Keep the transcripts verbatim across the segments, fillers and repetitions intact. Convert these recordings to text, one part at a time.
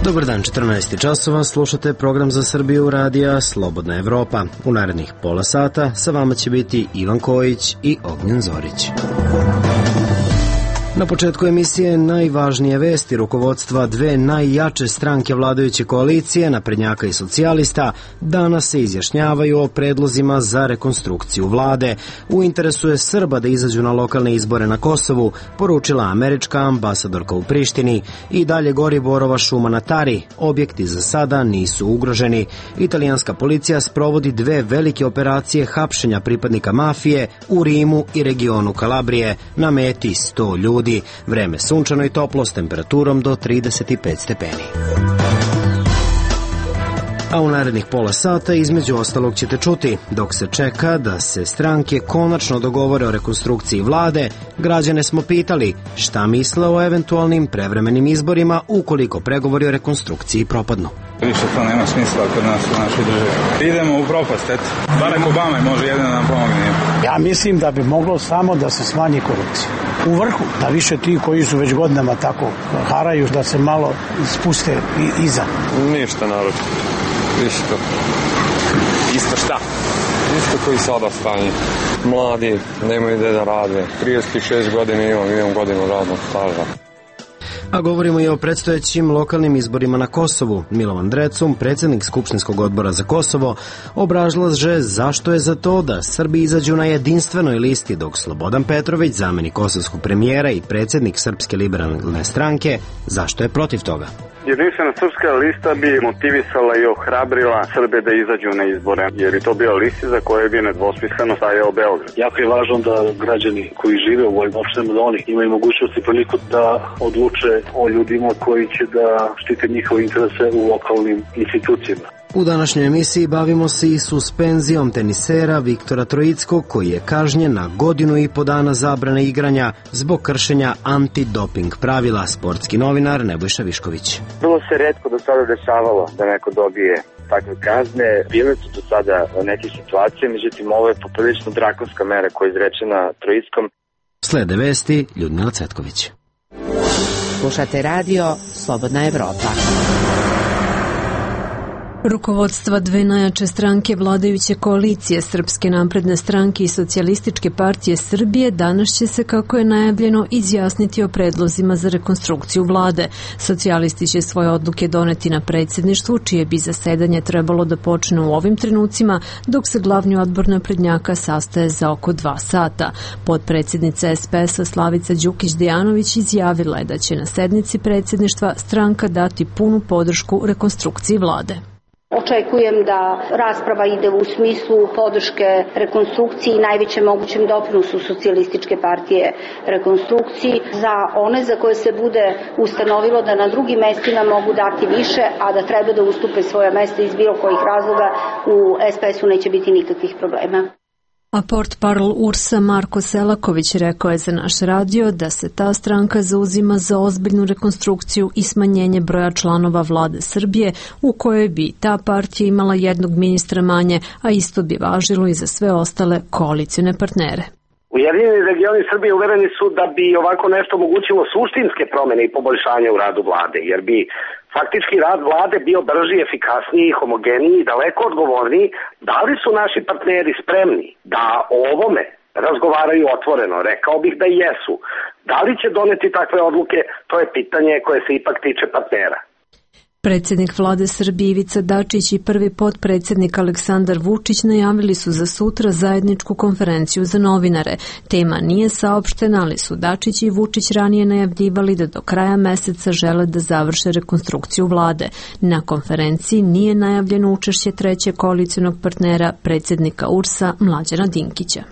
Dobar dan, četrnaest časova, slušate program za Srbiju radija Slobodna Evropa. U narednih pola sata sa vama će biti Ivan Kojić i Ognjen Zorić. Na početku emisije najvažnije vesti. Rukovodstva dve najjače stranke vladajuće koalicije, naprednjaka i socijalista, danas se izjašnjavaju o predlozima za rekonstrukciju vlade. U interesu je Srba da izađu na lokalne izbore na Kosovu, poručila američka ambasadorka u Prištini. I dalje gori borova šuma na Tari. Objekti za sada nisu ugroženi. Italijanska policija sprovodi dve velike operacije hapšenja pripadnika mafije u Rimu i regionu Kalabrije. Na meti sto ljudi. Vreme sunčano i toplo s temperaturom do trideset pet stepeni. A u narednih pola sata između ostalog ćete čuti, dok se čeka da se stranke konačno dogovore o rekonstrukciji vlade, građane smo pitali šta misle o eventualnim prevremenim izborima ukoliko pregovori o rekonstrukciji propadnu. Više to nema smisla kod nas u našoj državi. Idemo u propast, eto. Barack Obama može jedino nam pomogne. Ja mislim da bi moglo samo da se smanji korupcija. U vrhu, da više ti koji su već godinama tako haraju, da se malo spuste iza. Ništa narod. Isto. Isto šta? Isto koji sada stanje. Mladi, nemaju gde da rade. trideset šest godina imam, imam godinu radnog staža. A govorimo i o predstojećim lokalnim izborima na Kosovu. Milovan Drecun, predsjednik Skupštinskog odbora za Kosovo, obrazlaže zašto je za to da Srbi izađu na jedinstvenoj listi, dok Slobodan Petrović, zamenik kosovskog premijera i predsjednik Srpske liberalne stranke, zašto je protiv toga. Jedinstvena srpska lista bi motivisala i ohrabrila Srbe da izađu na izbore, jer je to bio listi za koje bi nedvosmisleno stajao Beograd. Jako je važno da građani koji žive u ovim opštinama, da oni imaju mogućnost i priliku da odluče o ljudima koji će da štite njihove interese u lokalnim institucijama. U današnjoj emisiji bavimo se i suspenzijom tenisera Viktora Troickog, koji je kažnjen na godinu i po dana zabrane igranja zbog kršenja antidoping pravila. Sportski novinar Nebojša Višković. Bilo se retko do sada dešavalo da neko dobije takve kazne. Bile su do sada neke situacije, međutim ovo je poprilično drakonska mera koja je izrečena Troickom. Slede vesti Ljudmila Cvetković. Slušate radio Slobodna Evropa. Rukovodstva dve najjače stranke vladajuće koalicije, Srpske napredne stranke i Socijalističke partije Srbije, danas će se, kako je najavljeno, izjasniti o predlozima za rekonstrukciju vlade. Socijalisti će svoje odluke doneti na predsjedništvu, čije bi zasedanje trebalo da počne u ovim trenucima, dok se glavni odbor naprednjaka sastaje za oko dva sata. Potpredsjednica es pe es-a Slavica Đukić-Dejanović izjavila je da će na sednici predsjedništva stranka dati punu podršku rekonstrukciji vlade. Očekujem da rasprava ide u smislu podrške rekonstrukciji i najvećem mogućem doprinosu Socijalističke partije rekonstrukciji za one za koje se bude ustanovilo da na drugim mestima mogu dati više, a da treba da ustupe svoja mesta iz bilo kojih razloga, u es pe es-u neće biti nikakvih problema. A portparol U R S-a Marko Selaković rekao je za naš radio da se ta stranka zauzima za ozbiljnu rekonstrukciju i smanjenje broja članova vlade Srbije, u kojoj bi ta partija imala jednog ministra manje, a isto bi važilo i za sve ostale koalicione partnere. Ujedinjeni regioni Srbije uvereni su da bi ovako nešto omogućilo suštinske promene i poboljšanje u radu vlade, jer bi faktički rad vlade bio brži, efikasniji, homogeniji i daleko odgovorniji. Da li su naši partneri spremni da o ovome razgovaraju otvoreno? Rekao bih da jesu. Da li će doneti takve odluke? To je pitanje koje se ipak tiče partnera. Predsjednik vlade Srbije Ivica Dačić i prvi potpredsjednik Aleksandar Vučić najavili su za sutra zajedničku konferenciju za novinare. Tema nije saopštena, ali su Dačić i Vučić ranije najavljivali da do kraja meseca žele da završe rekonstrukciju vlade. Na konferenciji nije najavljeno učešće trećeg koalicionog partnera, predsjednika U R S-a Mlađana Dinkića.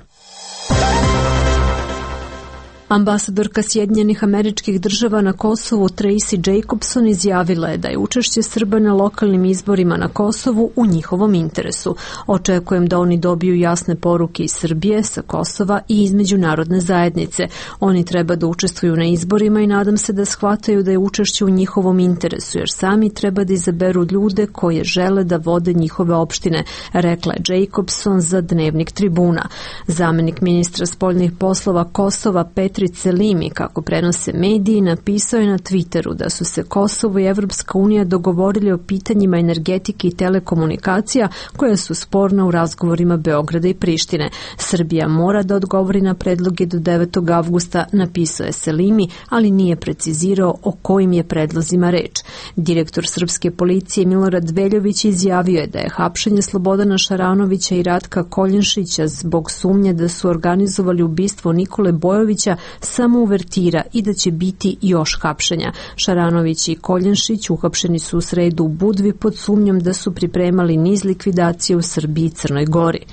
Ambasadorka Sjedinjenih Američkih Država na Kosovu Tracy Jacobson izjavila je da je učešće Srba na lokalnim izborima na Kosovu u njihovom interesu. Očekujem da oni dobiju jasne poruke iz Srbije, sa Kosova i iz međunarodne zajednice. Oni treba da učestvuju na izborima i nadam se da shvataju da je učešće u njihovom interesu, jer sami treba da izaberu ljude koje žele da vode njihove opštine, rekla je Jacobson za Dnevnik Tribuna. Zamenik ministra spoljnih poslova Kosova Petri Beatrice Selimi, kako prenose mediji, napisao je na Twitteru da su se Kosovo i Evropska unija dogovorili o pitanjima energetike i telekomunikacija koja su sporna u razgovorima Beograda i Prištine. Srbija mora da odgovori na predloge do devetog avgusta, napisao je Selimi, ali nije precizirao o kojim je predlozima reč. Direktor srpske policije Milorad Veljović izjavio je da je hapšenje Slobodana Šaranovića i Ratka Koljenšića zbog sumnje da su organizovali ubistvo Nikole Bojovića samo uvertira i da će biti još hapšenja. Šaranović i Koljenšić uhapšeni su u sredu u Budvi pod sumnjom da su pripremali niz likvidacije u Srbiji i Crnoj Gori.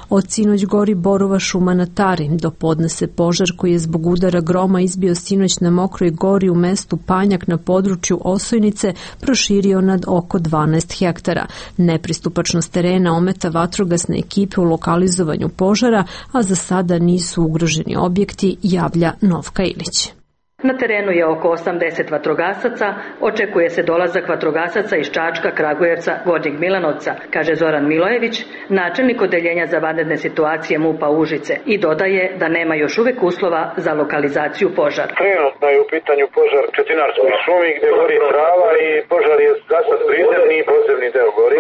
Od sinoć gori borova šuma na Tari. Do podne se požar koji je zbog udara groma izbio sinoć na Mokroj gori u mestu Panjak na području Osojnice proširio nad oko dvanaest hektara. Nepristupačnost terena ometa vatrogasne ekipe u lokalizovanju požara, a za sada nisu ugroženi objekti, javlja Novka Ilić. Na terenu je oko osamdeset vatrogasaca, očekuje se dolazak vatrogasaca iz Čačka, Kragujevca, Gornjeg Milanovca, kaže Zoran Milojević, načelnik odeljenja za vanredne situacije MUP-a Užice, i dodaje da nema još uvek uslova za lokalizaciju požara. Trenutno je u pitanju požar u Četinarskoj šumi gde gori trava i požar je za sad prizemni i podzemni deo gori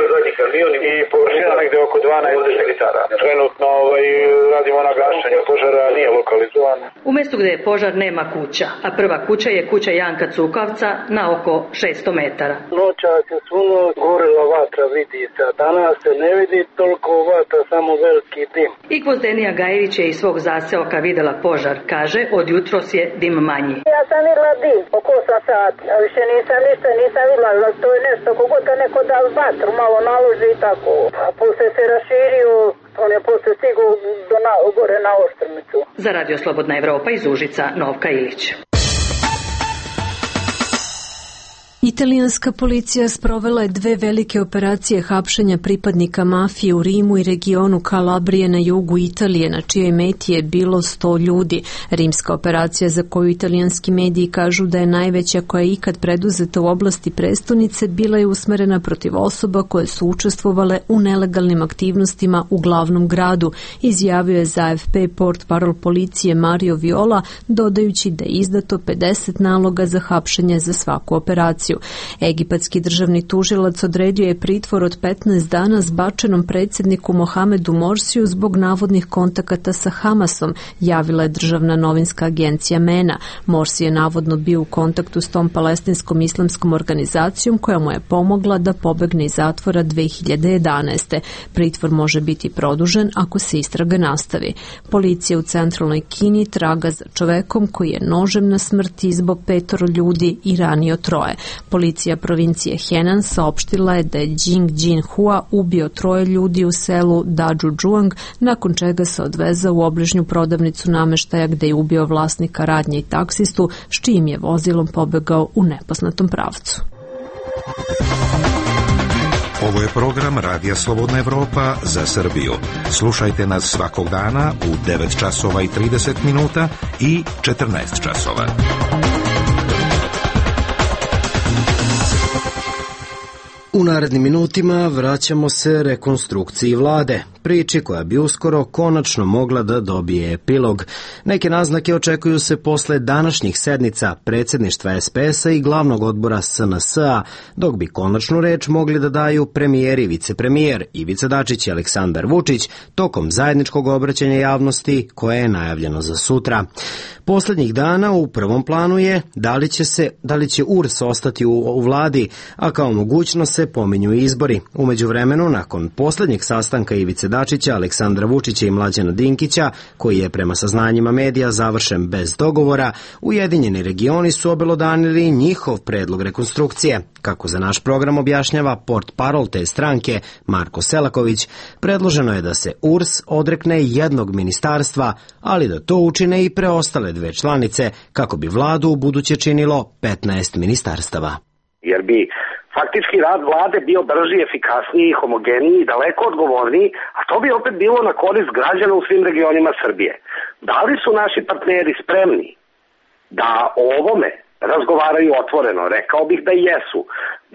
i površina negde oko dvanaest hektara. Trenutno ovaj, radimo na gašenju požara, nije lokalizovan. U mestu gde je požar nema kuća, a prva kuća je kuća Janka Cukavca na oko šesto metara. Noća se suno gorila vatra, vidi se, a danas se ne vidi toliko vatra, samo veliki dim. I Gvozdenija Gajević je iz svog zaseoka videla požar, kaže, od jutros je dim manji. Ja sam videla dim, oko osam sati, a više nisam ništa, nisam videla, to je nešto, kogod da neko da vatru malo naloži i tako. A posle se raširio, on je posle stigu do na, gore na Oštrmicu. Za Radio Slobodna Evropa iz Užica, Novka Ilić. Italijanska policija sprovela je dve velike operacije hapšenja pripadnika mafije u Rimu i regionu Kalabrije na jugu Italije, na čijoj meti je bilo sto ljudi. Rimska operacija, za koju italijanski mediji kažu da je najveća koja je ikad preduzeta u oblasti prestonice, bila je usmerena protiv osoba koje su učestvovale u nelegalnim aktivnostima u glavnom gradu, izjavio je za A F P portparol policije Mario Viola, dodajući da je izdato pedeset naloga za hapšenje za svaku operaciju. Egipatski državni tužilac odredio je pritvor od petnaest dana zbačenom predsjedniku Mohamedu Morsiju zbog navodnih kontakata sa Hamasom, javila je državna novinska agencija MENA. Morsi je navodno bio u kontaktu s tom palestinskom islamskom organizacijom koja mu je pomogla da pobegne iz zatvora dve hiljade jedanaeste. Pritvor može biti produžen ako se istraga nastavi. Policija u centralnoj Kini traga za čovekom koji je nožem na smrt izbo petoro ljudi i ranio troje. Policija provincije Henan saopštila je da je Jing Jin-hua ubio troje ljudi u selu Dazhujuang, nakon čega se odvezao u obližnju prodavnicu nameštaja gde je ubio vlasnika radnje i taksistu, s čijim je vozilom pobegao u nepoznatom pravcu. Ovo je program Radija Slobodna Evropa za Srbiju. Slušajte nas svakog dana u devet časova i trideset minuta i četrnaest časova. U narednim minutima vraćamo se rekonstrukciji vlade, priči koja bi uskoro konačno mogla da dobije epilog. Neke naznake očekuju se posle današnjih sednica predsjedništva S P S-a i glavnog odbora S N S-a, dok bi konačnu reč mogli da daju premijer i vicepremijer Ivica Dačić i Aleksandar Vučić tokom zajedničkog obraćanja javnosti koje je najavljeno za sutra. Poslednjih dana u prvom planu je da li će, se, da li će U R S ostati u, u vladi, a kao mogućnost se pominju izbori. U međuvremenu, nakon poslednjeg sastanka Ivice Dačića, Aleksandra Vučića i Mlađana Dinkića, koji je prema saznanjima medija završen bez dogovora, Ujedinjeni regioni su obelodanili njihov predlog rekonstrukcije. Kako za naš program objašnjava portparol te stranke Marko Selaković, predloženo je da se U R S odrekne jednog ministarstva, ali da to učine i preostale dve članice, kako bi vladu u buduće činilo petnaest ministarstava. Jer bi faktički rad vlade bio brži, efikasniji, homogeniji, daleko odgovorniji, a to bi opet bilo na korist građana u svim regionima Srbije. Da li su naši partneri spremni da o ovome razgovaraju otvoreno? Rekao bih da jesu.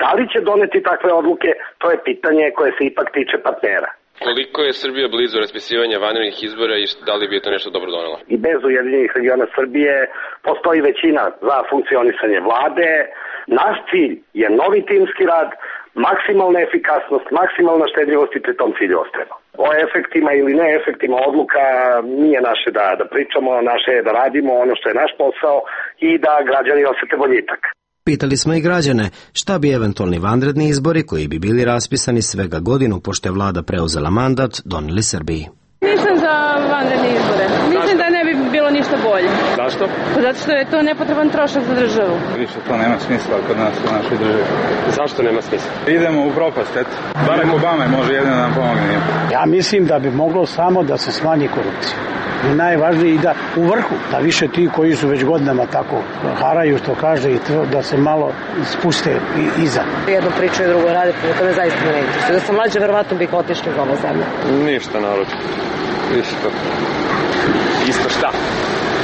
Da li će doneti takve odluke, to je pitanje koje se ipak tiče partnera. Koliko je Srbija blizu raspisivanja vanrednih izbora i da li bi to nešto dobro donelo? I bez Ujedinjenih regiona Srbije postoji većina za funkcionisanje vlade. Naš cilj je novi timski rad, maksimalna efikasnost, maksimalna štedljivost i pri tom cilju ostrema. O efektima ili ne efektima odluka nije naše da, da pričamo, naše je da radimo ono što je naš posao i da građani osete boljitak. Pitali smo i građane šta bi eventualni vanredni izbori koji bi bili raspisani svega godinu pošto je vlada preuzela mandat doneli Srbiji. Nisam za vanredne izbore. Mislim da ne bi bilo ništa bolje. Zašto? Zato što je to nepotreban trošak za državu. Više to nema smisla kod nas u našoj državi. Zašto nema smisla? Idemo u propast, eto. Barack Obama može jedino da nam pomogne. Ja mislim da bi moglo samo da se smanji korupcija. I najvažnije i da u vrhu, da više ti koji su već godinama tako haraju, što kaže, i to, da se malo spuste iza. Jedno pričaju, drugo rade, to me zaista ne interesuje. Da sam mlađa, verovatno bih otišla iz ove zemlje. Ništa narod. Isto. Isto šta?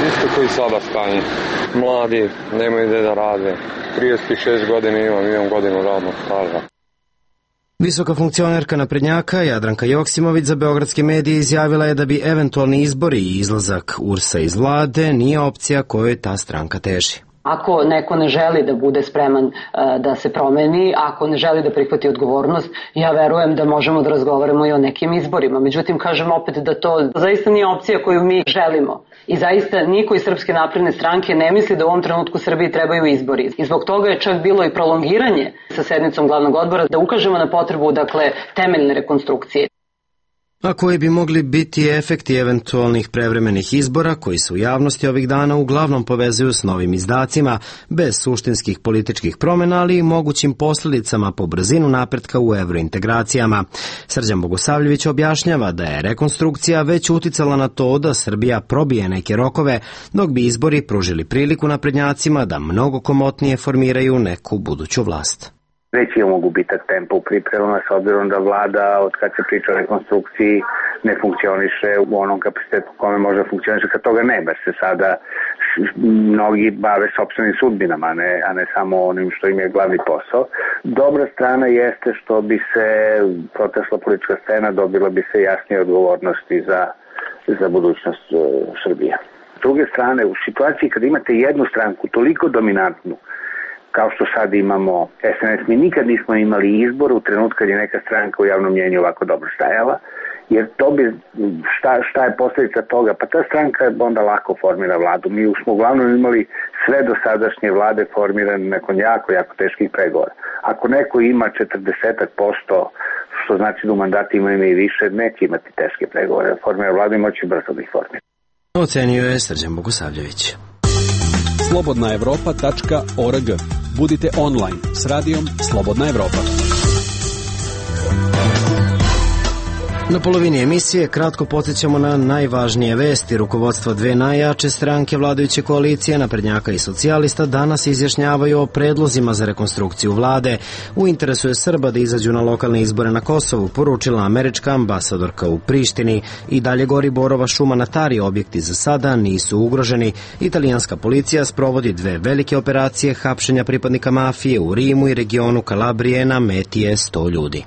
Isto koji sada stanje. Mladi, nemaju gde da rade. trideset šest godina imam, imam godinu radnog staža. Visoka funkcionerka naprednjaka Jadranka Joksimović za beogradske medije izjavila je da bi eventualni izbori i izlazak U R S-a iz vlade nije opcija kojoj ta stranka teži. Ako neko ne želi da bude spreman uh, da se promeni, ako ne želi da prihvati odgovornost, ja verujem da možemo da razgovaramo i o nekim izborima. Međutim, kažem opet da to zaista nije opcija koju mi želimo. I zaista niko iz Srpske napredne stranke ne misli da u ovom trenutku Srbiji trebaju izbori. I zbog toga je čak bilo i prolongiranje sa sednicom glavnog odbora da ukažemo na potrebu, dakle, temeljne rekonstrukcije. A koji bi mogli biti efekti eventualnih prevremenih izbora koji se u javnosti ovih dana uglavnom povezuju s novim izdacima, bez suštinskih političkih promjena, ali i mogućim posljedicama po brzinu napretka u evrointegracijama. Srđan Bogosavljević objašnjava da je rekonstrukcija već uticala na to da Srbija probije neke rokove, dok bi izbori pružili priliku naprednjacima da mnogo komotnije formiraju neku buduću vlast. Već imamo gubitak tempa u pripremama s obzirom da vlada od kad se priča o rekonstrukciji ne funkcioniše u onom kapacitetu kome može funkcioniše kad toga ne, bar se sada mnogi bave sopstvenim sudbinama, a ne, a ne samo onim što im je glavni posao. Dobra strana jeste što bi se protesla politička scena, dobila bi se jasnije odgovornosti za, za budućnost uh, Srbije. S druge strane, u situaciji kad imate jednu stranku toliko dominantnu kao što sad imamo S N S, mi nikad nismo imali izbor u trenutku kad je neka stranka u javnom mnjenju ovako dobro stajala, jer to bi, šta, šta je posljedica toga? Pa ta stranka onda lako formira vladu. Mi smo uglavnom imali sve dosadašnje vlade formirane nakon jako, jako teških pregovora. Ako neko ima četrdeset posto, što znači da u mandatu ima i više, neće imati teške pregovore. Formira vladu i moći brzo da ih formira. Ocenio je Srđan Bogosavljević. slobodna evropa tačka org. Budite online s radijom Slobodna Evropa. Na polovini emisije kratko podsjećamo na najvažnije vesti. Rukovodstva dve najjače stranke vladajuće koalicije, naprednjaka i socijalista, danas izjašnjavaju o predlozima za rekonstrukciju vlade. U interesu je Srba da izađu na lokalne izbore na Kosovu, poručila američka ambasadorka u Prištini. I dalje gori borova šuma na Tari, objekti za sada nisu ugroženi. Italijanska policija sprovodi dve velike operacije hapšenja pripadnika mafije u Rimu i regionu Kalabrije, na meti je sto ljudi.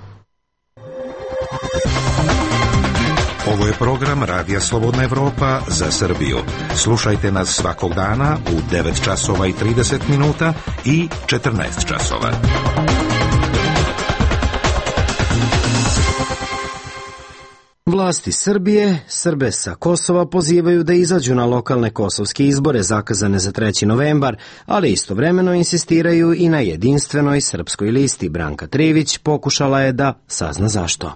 Ovo je program Radija Slobodna Evropa za Srbiju. Slušajte nas svakog dana u devet časova i trideset minuta i četrnaest časova. Vlasti Srbije, Srbe sa Kosova pozivaju da izađu na lokalne kosovske izbore zakazane za treći novembar, ali istovremeno insistiraju i na jedinstvenoj srpskoj listi. Branka Trivić pokušala je da sazna zašto.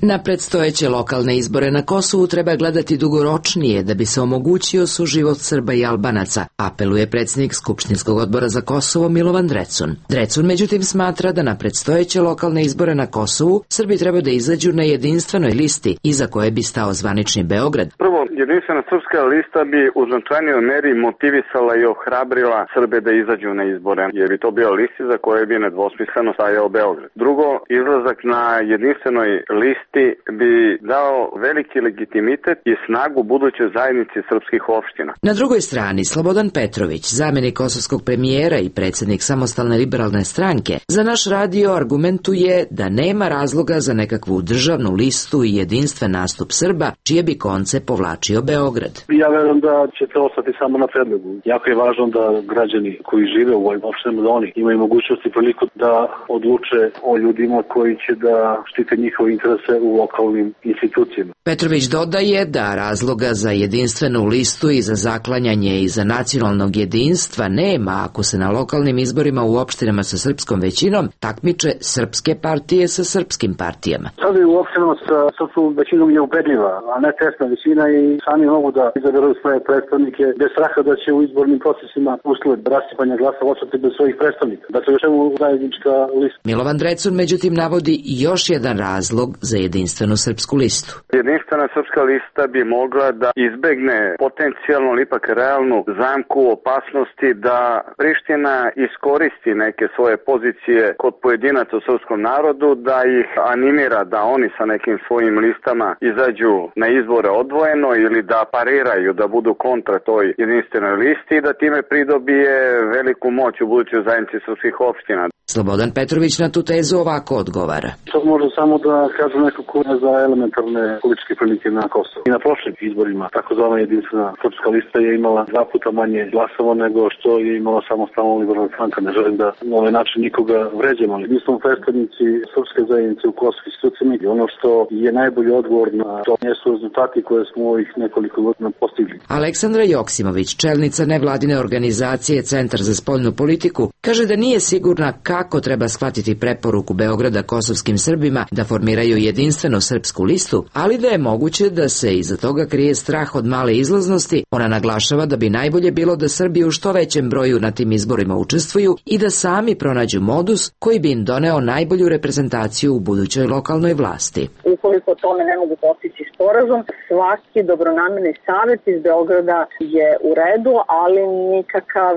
Na predstojeće lokalne izbore na Kosovu treba gledati dugoročnije da bi se omogućio suživot Srba i Albanaca, apeluje predsjednik Skupštinskog odbora za Kosovo Milovan Drecun. Drecun međutim smatra da na predstojeće lokalne izbore na Kosovu Srbi treba da izađu na jedinstvenoj listi iza koje bi stao zvanični Beograd. Prvo, Jedinstvena srpska lista bi u značajnijoj meri motivisala i ohrabrila Srbe da izađu na izbore, jer bi to bio listi za koje bi nedvosmisleno stajao Beograd. Drugo, izlazak na jedinstvenoj listi bi dao veliki legitimitet i snagu budućoj zajednici srpskih opština. Na drugoj strani, Slobodan Petrović, zamjenik kosovskog premijera i predsjednik Samostalne liberalne stranke, za naš radio argumentuje da nema razloga za nekakvu državnu listu i jedinstven nastup Srba, čije bi konce povlačio Beograd. Ja verujem da će to ostati samo na predlogu. Jako je važno da građani koji žive u ovim opštinama, da oni imaju mogućnost i priliku da odluče o ljudima koji će da štite njihove interese u lokalnim institucijama. Petrović dodaje da razloga za jedinstvenu listu i za zaklanjanje i za nacionalnog jedinstva nema ako se na lokalnim izborima u opštinama sa srpskom većinom takmiče srpske partije sa srpskim partijama. Sada u opštinama sa srpskom većinom je ubedljiva, a ne tesna većina i sami mogu da izaberu svoje predstavnike bez straha da će u izbornim procesima usled rasipanja glasa ostati bez svojih predstavnika. Dakle, još čemu zajednička lista. Milovan Drecun međutim navodi još jedan razlog za jedinstvenu srpsku listu. Jedinstvena srpska lista bi mogla da izbegne potencijalno ili ipak realnu zamku opasnosti da Priština iskoristi neke svoje pozicije kod pojedinaca u srpskom narodu, da ih animira da oni sa nekim svojim listama izađu na izbore odvojeno ili da pariraju, da budu kontra toj jedinstvenoj listi i da time pridobije veliku moć u budućoj zajednici srpskih opština. Slobodan Petrović na tu tezu ovako odgovara. To može samo da kažu neko ko je za elementarne političke prilike na Kosovu. I na prošlim izborima takozvana jedinstvena srpska lista je imala dva puta manje glasova nego što je imala Samostalna liberalna stranka. Ne želim da na ovaj način nikoga vređamo, ali mi smo predstavnici srpske zajednice u kosovskim institucijama i ono što je najbolji odgovor na to jesu rezultati koje smo ovih nekoliko godina postigli. Aleksandra Joksimović, čelnica nevladine organizacije Centar za spoljnu politiku, kaže da nije sigurna kako treba shvatiti preporuku Beograda kosovskim Srbima da formiraju jedinstvenu srpsku listu, ali da je moguće da se iza toga krije strah od male izlaznosti. Ona naglašava da bi najbolje bilo da Srbi u što većem broju na tim izborima učestvuju i da sami pronađu modus koji bi im doneo najbolju reprezentaciju u budućoj lokalnoj vlasti. Ukoliko tome ne mogu postići sporazum, svaki dobronamerni savjet iz Beograda je u redu, ali nikakav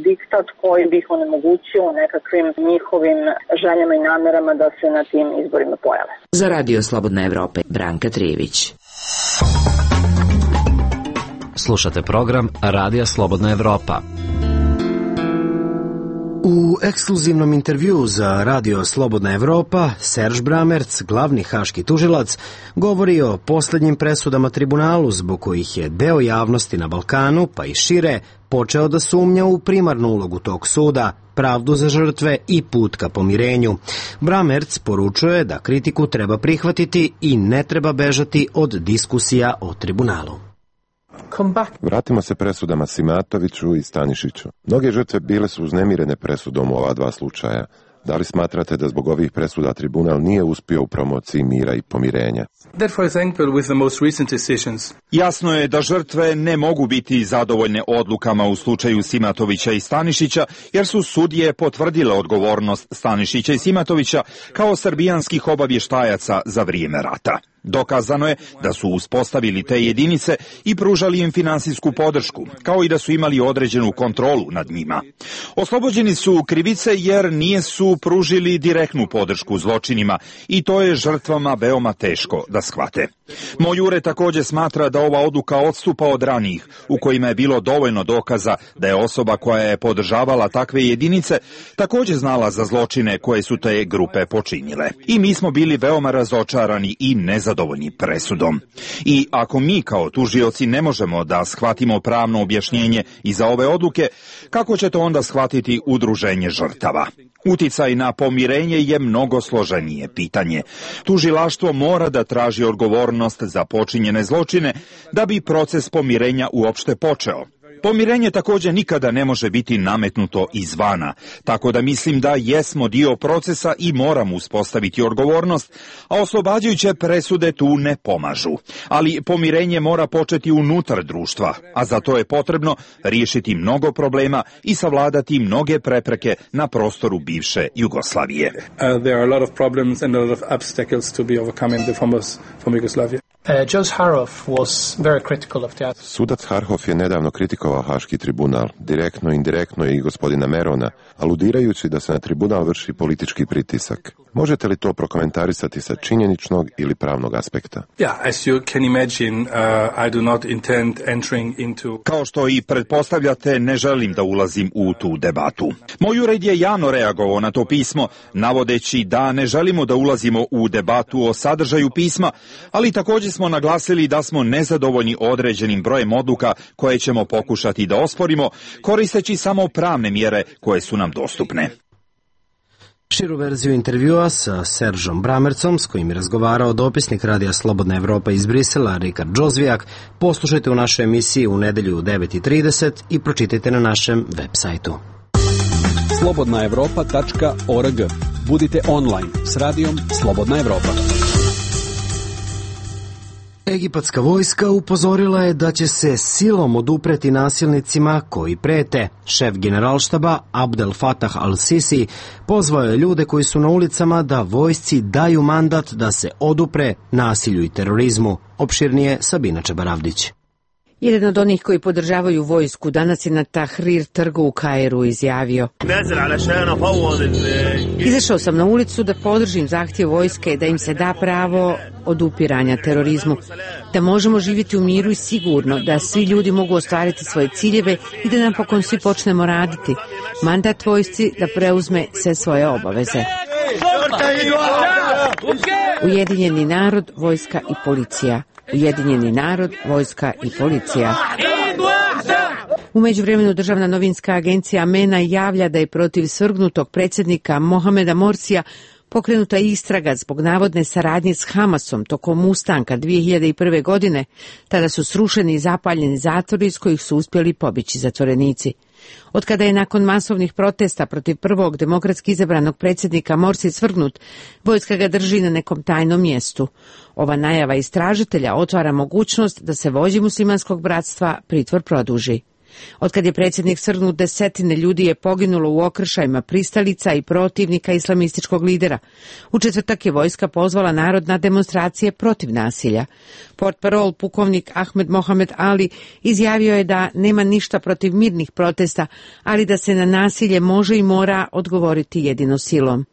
diktat koji bi ih onemogućio nekakvim njihovim željama i namerama da se na tim izborima pojave. Za Radio Slobodna Evropa, Branka Trijević. Slušate program Radija Slobodna Evropa. U ekskluzivnom intervjuu za Radio Slobodna Evropa, Serž Bramerc, glavni haški tužilac, govori o posljednjim presudama tribunalu zbog kojih je deo javnosti na Balkanu, pa i šire, počeo da sumnja u primarnu ulogu tog suda, pravdu za žrtve i put ka pomirenju. Bramerc poručuje da kritiku treba prihvatiti i ne treba bežati od diskusija o tribunalu. Vratimo se presudama Simatoviću i Stanišiću. Mnoge žrtve bile su uznemirene presudom u ova dva slučaja. Da li smatrate da zbog ovih presuda tribunal nije uspio u promociji mira i pomirenja? Jasno je da žrtve ne mogu biti zadovoljne odlukama u slučaju Simatovića i Stanišića, jer su sudije potvrdile odgovornost Stanišića i Simatovića kao srbijanskih obavještajaca za vrijeme rata. Dokazano je da su uspostavili te jedinice i pružali im finansijsku podršku, kao i da su imali određenu kontrolu nad njima. Oslobođeni su krivice jer nije su pružili direktnu podršku zločinima i to je žrtvama veoma teško da shvate. Moj ured također smatra da ova odluka odstupa od ranijih, u kojima je bilo dovoljno dokaza da je osoba koja je podržavala takve jedinice također znala za zločine koje su te grupe počinile. I mi smo bili veoma razočarani i nezadovoljni presudom. I ako mi kao tužioci ne možemo da shvatimo pravno objašnjenje iza ove odluke, kako će to onda shvatiti udruženje žrtava? Uticaj na pomirenje je mnogo složenije pitanje. Tužilaštvo mora da traži odgovornost za počinjene zločine da bi proces pomirenja uopšte počeo. Pomirenje također nikada ne može biti nametnuto izvana, tako da mislim da jesmo dio procesa i moramo uspostaviti odgovornost, a oslobađajuće presude tu ne pomažu. Ali pomirenje mora početi unutar društva, a za to je potrebno riješiti mnogo problema i savladati mnoge prepreke na prostoru bivše Jugoslavije. Uh, there are a lot of problems and a lot of obstacles to be overcome in the former, former Yugoslavia. Sudac Harhoff je nedavno kritikovao Haški tribunal, direktno i indirektno i gospodina Merona, aludirajući da se na tribunal vrši politički pritisak. Možete li to prokomentarisati sa činjeničnog ili pravnog aspekta? Kao što i pretpostavljate, ne želim da ulazim u tu debatu. Moj ured je javno reagovao na to pismo, navodeći da ne želimo da ulazimo u debatu o sadržaju pisma, ali također smo naglasili da smo nezadovoljni određenim brojem odluka koje ćemo pokušati da osporimo, koristeći samo pravne mjere koje su nam dostupne. Širu verziju intervjua sa Seržom Bramercom, s kojim je razgovarao dopisnik Radija Slobodna Evropa iz Brisela, Rikard Džozvijak, poslušajte u našoj emisiji u nedelju u devet i trideset i pročitajte na našem web sajtu. slobodna evropa tačka org. Budite online s radijom Slobodna Evropa. Egipatska vojska upozorila je da će se silom odupreti nasilnicima koji prete. Šef generalštaba Abdel Fattah al-Sisi pozvao je ljude koji su na ulicama da vojsci daju mandat da se odupre nasilju i terorizmu. Opširnije Sabina Čebaravdić. Jedan od onih koji podržavaju vojsku danas je na Tahrir trgu u Kairu izjavio: Izašao sam na ulicu da podržim zahtjev vojske da im se da pravo odupiranja terorizmu, da možemo živjeti u miru i sigurno, da svi ljudi mogu ostvariti svoje ciljeve i da napokon svi počnemo raditi. Mandat vojsci da preuzme sve svoje obaveze. Ujedinjeni narod, vojska i policija. Ujedinjeni narod, vojska i policija. U međuvremenu državna novinska agencija MENA javlja da je protiv svrgnutog predsjednika Mohameda Morsija pokrenuta istraga zbog navodne saradnje s Hamasom tokom ustanka dvije hiljade prve. godine. Tada su srušeni i zapaljeni zatvori iz kojih su uspjeli pobjeći zatvorenici. Od kada je nakon masovnih protesta protiv prvog demokratski izabranog predsjednika Morsi svrgnut, vojska ga drži na nekom tajnom mjestu. Ova najava istražitelja otvara mogućnost da se vođi muslimanskog bratstva pritvor produži. Otkad je predsjednik svrgnut, desetine ljudi je poginulo u okršajima pristalica i protivnika islamističkog lidera. U četvrtak je vojska pozvala narod na demonstracije protiv nasilja. Portparol pukovnik Ahmed Mohamed Ali izjavio je da nema ništa protiv mirnih protesta, ali da se na nasilje može i mora odgovoriti jedino silom.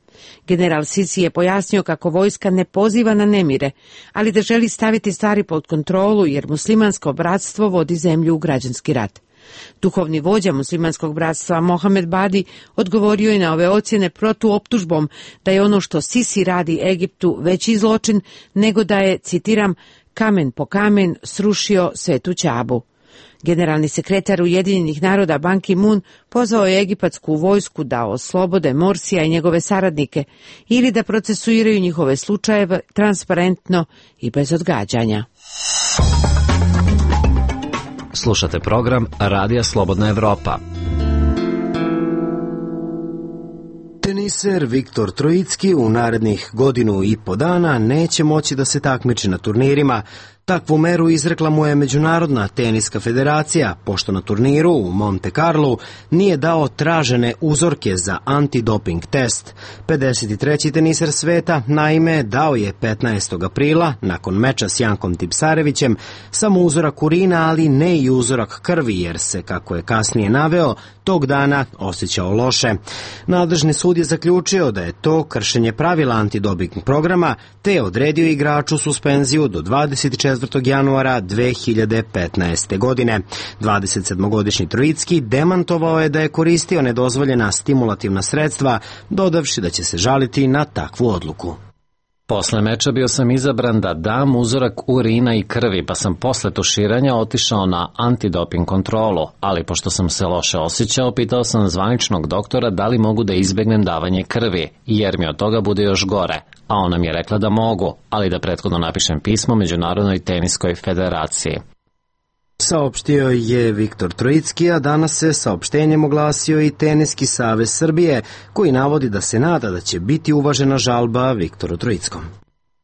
General Sisi je pojasnio kako vojska ne poziva na nemire, ali da želi staviti stvari pod kontrolu jer muslimansko bratstvo vodi zemlju u građanski rat. Duhovni vođa muslimanskog bratstva Mohamed Badi odgovorio je na ove ocjene protuoptužbom da je ono što Sisi radi Egiptu veći zločin nego da je, citiram, kamen po kamen srušio svetu Ćabu. Generalni sekretar Ujedinjenih naroda Ban Ki-moon pozvao je egipatsku vojsku da oslobode Morsija i njegove saradnike ili da procesuiraju njihove slučajeve transparentno i bez odgađanja. Slušate program Radija Slobodna Evropa. Teniser Viktor Trojicki u narednih godinu i po dana neće moći da se takmiči na turnirima. Takvu meru izrekla mu je Međunarodna teniska federacija, pošto na turniru u Monte Carlo nije dao tražene uzorke za antidoping test. pedeset treći teniser sveta, naime, dao je petnaestog aprila, nakon meča s Jankom Tipsarevićem, samo uzorak urina, ali ne i uzorak krvi, jer se, kako je kasnije naveo, tog dana osjećao loše. Nadležni sud je zaključio da je to kršenje pravila antidoping programa, te je odredio igraču suspenziju do dvadeset četvrtog januara dve hiljade petnaeste. godine. dvadesetsedmogodišnji Trojicki demantovao je da je koristio nedozvoljena stimulativna sredstva, dodavši da će se žaliti na takvu odluku. Posle meča bio sam izabran da dam uzorak urina i krvi, pa sam posle tuširanja otišao na antidoping kontrolu, ali pošto sam se loše osjećao, pitao sam zvaničnog doktora da li mogu da izbegnem davanje krvi, jer mi od toga bude još gore, a ona mi je rekla da mogu, ali da prethodno napišem pismo Međunarodnoj teniskoj federaciji. Saopštio je Viktor Trojicki, a danas se saopštenjem oglasio i Teniski savez Srbije, koji navodi da se nada da će biti uvažena žalba Viktoru Trojickom.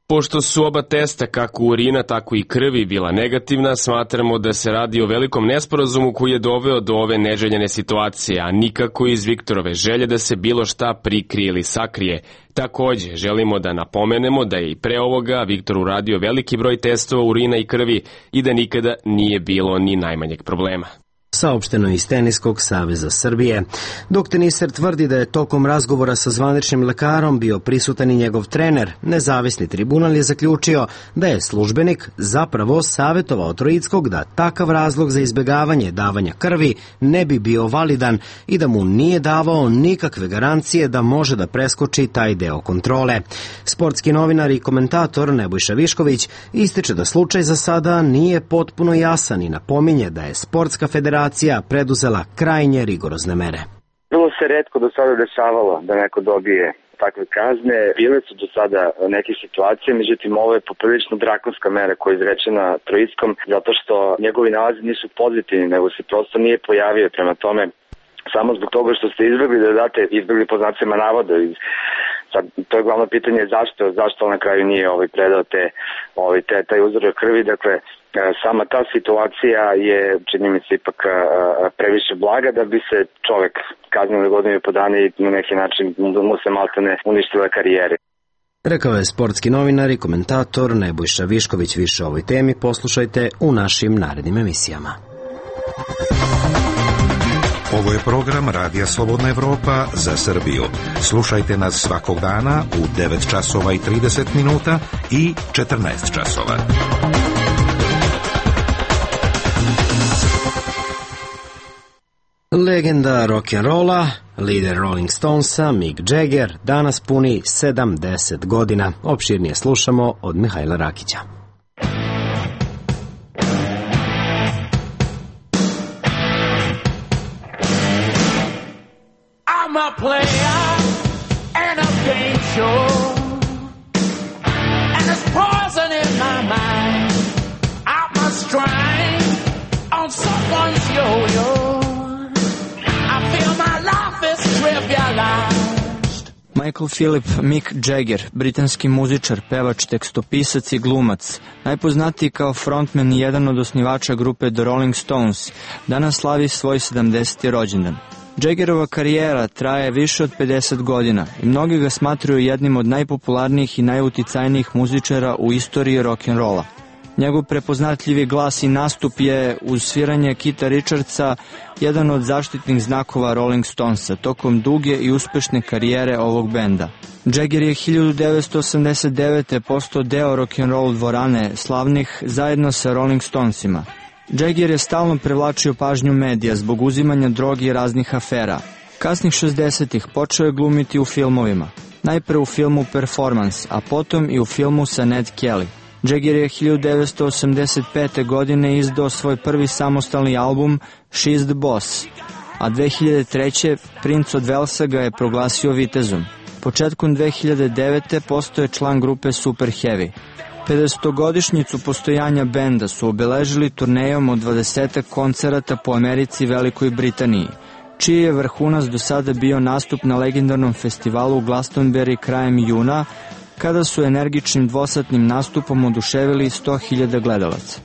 Pošto su oba testa, kako urina, tako i krvi, bila negativna, smatramo da se radi o velikom nesporazumu koji je doveo do ove neželjene situacije, a nikako iz Viktorove želje da se bilo šta prikrije ili sakrije. Takođe, želimo da napomenemo da je i pre ovoga Viktor uradio veliki broj testova urina i krvi i da nikada nije bilo ni najmanjeg problema. Saopšteno iz Teniskog saveza Srbije. Dok teniser tvrdi da je tokom razgovora sa zvaničnim lekarom bio prisutan i njegov trener, nezavisni tribunal je zaključio da je službenik zapravo savjetovao Troickog da takav razlog za izbjegavanje davanja krvi ne bi bio validan i da mu nije davao nikakve garancije da može da preskoči taj deo kontrole. Sportski novinar i komentator Nebojša Višković ističe da slučaj za sada nije potpuno jasan i napominje da je Sportska federacija preduzela krajnje rigorozne mere. Vrlo se retko do sada dešavalo da neko dobije takve kazne. Bile su do sada neke situacije, međutim ovo je poprilično drakonska mera koja je izrečena Troickom, zato što njegovi nalazi nisu pozitivni, nego se prosto nije pojavio. Prema tome, samo zbog toga što ste izbjegli da date, izbjegli po znacima navoda. Sad, to je glavno pitanje zašto, zašto na kraju nije ovaj predao te, ovaj, te, taj uzorak krvi. Dakle, sama ta situacija je, čini mi se, ipak previše blaga da bi se čovek kaznio godinu i po dana i na neki način mu se maltene uništila karijere. Rekao je sportski novinar i komentator Nebojša Višković. Više o ovoj temi poslušajte u našim narednim emisijama. Ovo je program Radija Slobodna Evropa za Srbiju. Slušajte nas svakog dana u devet časova i trideset minuta i četrnaest časova. Legenda rock'n'rolla, lider Rolling Stonesa, Mick Jagger, danas puni sedamdeset godina. Opširnije slušamo od Mihajla Rakića. I'm a player and a game show, and there's poison in my mind. I must try on someone's yo-yo. Michael Philip Mick Jagger, britanski muzičar, pevač, tekstopisac i glumac, najpoznatiji kao frontman i jedan od osnivača grupe The Rolling Stones, danas slavi svoj sedamdeseti rođendan. Jaggerova karijera traje više od pedeset godina i mnogi ga smatruju jednim od najpopularnijih i najuticajnijih muzičara u istoriji rock'n'rolla. Njegov prepoznatljivi glas i nastup je, uz sviranje Kita Richardsa, jedan od zaštitnih znakova Rolling Stonesa tokom duge i uspešne karijere ovog benda. Jagger je hiljadu devetsto osamdeset devete. postao deo rock'n'roll dvorane slavnih zajedno sa Rolling Stonesima. Jagger je stalno privlačio pažnju medija zbog uzimanja droge i raznih afera. Kasnih šezdesetih počeo je glumiti u filmovima. Najpre u filmu Performance, a potom i u filmu sa Ned Kelly. Jagger je hiljadu devetsto osamdeset pete. godine izdao svoj prvi samostalni album She's the Boss, a dve hiljade treće. princ od Velsa ga je proglasio vitezom. Početkom dve hiljade devete. postao je član grupe Super Heavy. pedesetogodišnjicu postojanja benda su obeležili turnejom od dvadesetak koncerata po Americi i Velikoj Britaniji, čiji je vrhunac do sada bio nastup na legendarnom festivalu Glastonbury krajem juna, kada su energičnim dvosatnim nastupom oduševili sto hiljada gledalaca.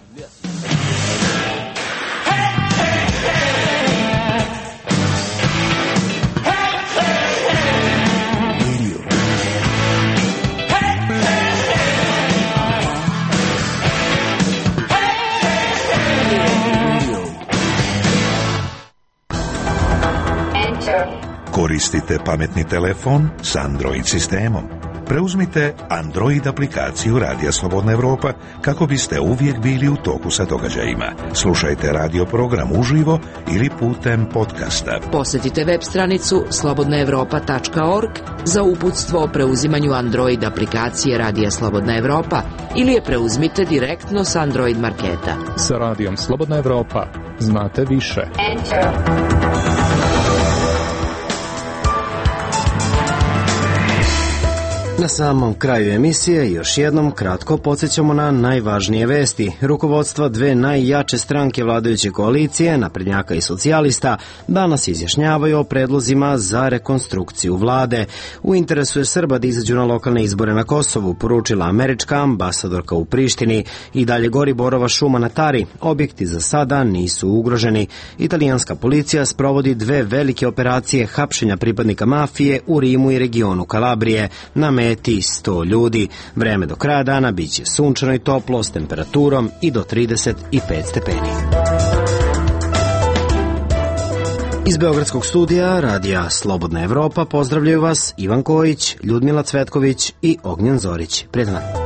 Koristite pametni telefon s Android sistemom. Preuzmite Android aplikaciju Radija Slobodna Evropa kako biste uvijek bili u toku sa događajima. Slušajte radio program uživo ili putem podcasta. Posjetite web stranicu slobodna evropa tačka org za uputstvo o preuzimanju Android aplikacije Radija Slobodna Evropa ili je preuzmite direktno s Android marketa. Sa Radijom Slobodna Evropa znate više. Enter. Na samom kraju emisije još jednom kratko podsjećamo na najvažnije vesti. Rukovodstva dve najjače stranke vladajuće koalicije, naprednjaka i socijalista, danas izjašnjavaju o predlozima za rekonstrukciju vlade. U interesu je Srba da izađu na lokalne izbore na Kosovu, poručila američka ambasadorka u Prištini. I dalje gori borova šuma na Tari. Objekti za sada nisu ugroženi. Italijanska policija sprovodi dve velike operacije hapšenja pripadnika mafije u Rimu i regionu Kalabrije. Na meti sto ljudi. Vreme do kraja dana biće sunčano i toplo s temperaturom i do trideset pet stepeni. Iz Beogradskog studija radija Slobodna Evropa pozdravljaju vas Ivan Kojić, Ljudmila Cvetković i Ognjen Zorić. Prijetan dan.